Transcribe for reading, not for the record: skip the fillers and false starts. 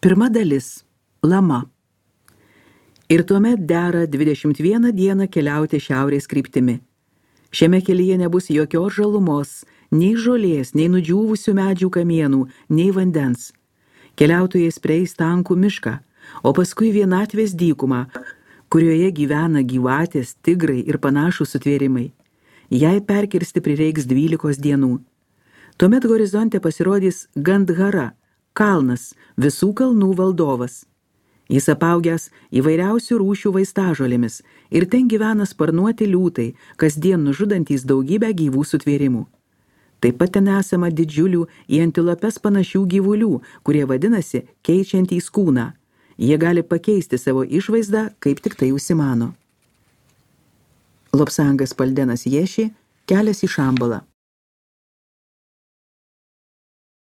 Pirma dalis – Lama. Ir tuomet dera 21 dieną keliauti šiaurės kryptimi. Šiame kelyje nebus jokios žalumos, nei žolės, nei nudžiūvusių medžių kamienų, nei vandens. Keliautojai praeis tankų mišką, o paskui vienatvės dykumą, kurioje gyvena gyvatės, tigrai ir panašūs sutvėrimai. Jai perkirsti prireiks 12 dienų. Tuomet horizonte pasirodys Gandhara, kalnas, visų kalnų valdovas. Jis apaugęs įvairiausių rūšių vaistažolėmis ir ten gyvena sparnuoti liūtai, kasdien nužudantys daugybę gyvų sutvėrimų. Taip pat ten esama didžiulių į antilopes panašių gyvulių, kurie vadinasi keičiantys kūną. Jie gali pakeisti savo išvaizdą, kaip tik tai užsimano. Lobsangas Paldenas Ješi, Kelias į Šambalą.